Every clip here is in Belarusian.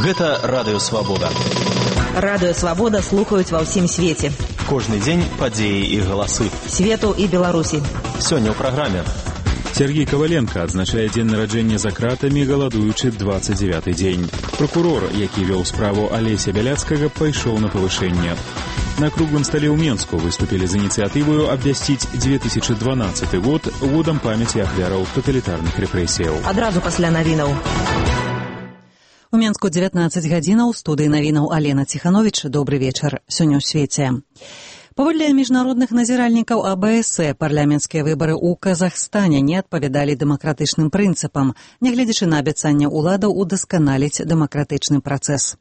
Гэта Радыё Свабода. Радыё Свабода слухаюць ва ўсім свеце. Кожны дзень падзеі і галасы. Свету і Беларусі. Сёння ў праграме. Сергей Коваленко адзначае дзень нараджэння за кратамі, галадуючы 29-й дзень. Прокурор, які вёў справу Алеся Бяляцкага, пайшоў на павышэнне. На круглым стале ў Менску выступілі з ініцыятываю абвясціць 2012 год годам памяці ахвяраў таталітарных рэпрэсіяў. Адразу пасля навінаў. У Менску 19 гадзінаў, у студыі навінаў Алена Ціхановіч. Добры вечар. Сёння ў свеце. Паводле міжнародных назіральнікаў АБС, парламенцкія выбары ў Казахстане не адпавядалі дэмакратычным прынцыпам, нягледзячы на абяцанне ўладаў удасканаліць дэмакратычны працэс.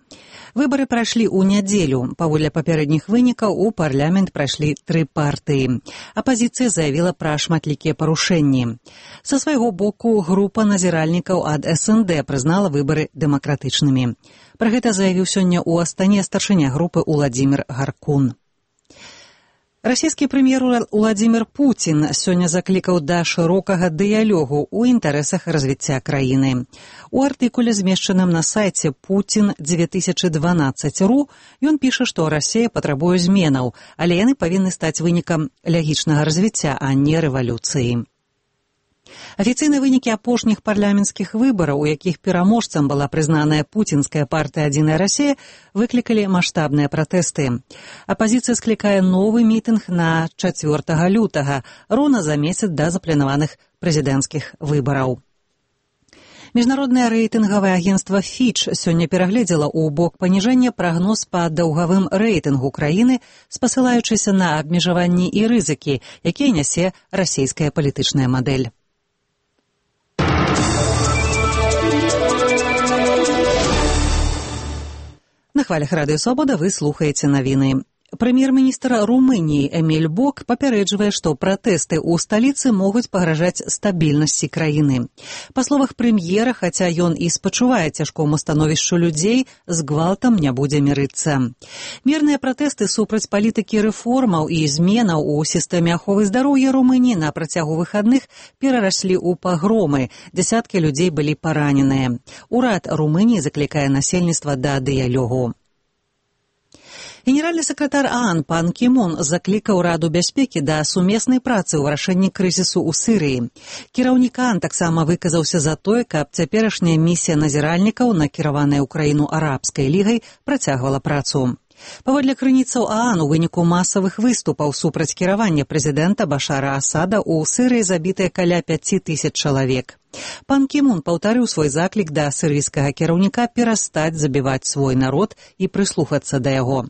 Выбары прайшлі ў нядзелю. Паводле папярэдніх вынікаў у парламент прайшлі 3 партыі. Апазіцыя заявіла пра шматлікія парушэнні. Са свайго боку, група назіральнікаў ад СНД прызнала выбары дэмакратычнымі. Пра гэта заявіў сёння ў Астане старшыня групы Уладзімір Гаркун. Расійскі прэм'ер Уладзімір Пуцін сёння заклікаў да шырокага дыялогу ў інтарэсах развіцця краіны. У артыкуле, змешчаным на сайце Putin2012.ru, ён піша, што Расія патрабуе зменаў, але яны павінны стаць вынікам лягічнага развіцця, а не рэвалюцыі. Афіцыйныя вынікі апошніх парламенцкіх выбараў, у якіх пераможцам была прызнаная пуцінская партыя «Адзіная Расія», выклікалі маштабныя пратэсты. Апазіцыя склікае новы мітынг на 4 лютага, роўна за месяц да запланаваных прэзідэнцкіх выбараў. Міжнароднае рэйтынгавае агенцтва Fitch сёння перагледзела ў бок паніжэння прагноз па даўгавым рэйтынгу краіны, спасылаючыся на абмежаванні і рызыкі, якія нясе расійская палітычная мадэль. На хвалях Радыё Свабода вы слухаеце навіны. Прэм'ер-міністр Румыніі Эміль Бок папярэджвае, што пратэсты ў сталіцы могуць пагражаць стабільнасці краіны. Па словах прэм'ера, хаця ён і спачувае цяжкому становішчу людзей, з гвалтам не будзе мірыцца. Мірныя пратэсты супраць палітыкі рэформаў і зменаў у сістэме аховы здароўя Румыніі на працягу выхадных перараслі ў пагромы. Дзясяткі людзей былі параненыя. Урад Румыніі заклікае насельніцтва да дыялогу. Генеральны сакратар ААН пан Кі Мун заклікаў Раду бяспекі да сумеснай працы ў вырашэнні крызісу ў Сірыі. Кіраўнік ААН таксама выказаўся за тое, каб цяперашняя місія назіральнікаў, накіраваная ў краіну арабскай лігай, працягвала працу. Паводле крыніцаў ААН, у выніку масавых выступаў супраць кіравання прэзідэнта Башара Асада ў Сірыі забітыя каля 5000 чалавек. Пан Кі Мун паўтарыў свой заклік да сірыйскага кіраўніка перастаць забіваць свой народ і прыслухацца да яго.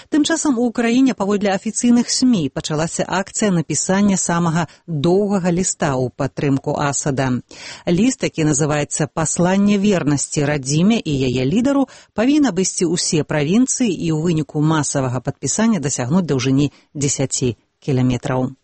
Тым часам у Ўкраіне паводле афіцыйных СМІ пачалася акцыя напісання самага доўгага ліста ў падтрымку Асада. Ліст, які называецца «Пасланне вернасці радзіме і яе лідару», павінен абысці ўсе правінцыі і ў выніку масавага падпісання дасягнуць даўжыні 10 кіламетраў.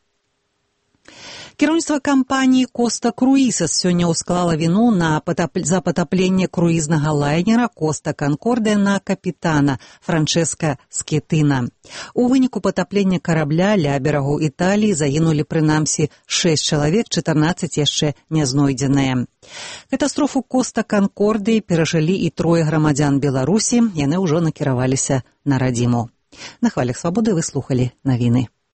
Кіраўніцтва кампаніі «Коста Круїзес» сёння ўсклала віну за патапленне круізнага лайнера «Коста Конкордия» на капітана Франческа Скетына. У выніку патаплення карабля ля берагу Італіі загінулі прынамсі 6 чалавек, 14 яшчэ не знойдзеныя. Катастрофу «Коста Конкордии» перажылі і 3 грамадзян Беларусі, яны ўжо накіраваліся на радзіму. На хвалях Свабоды вы слухалі навіны.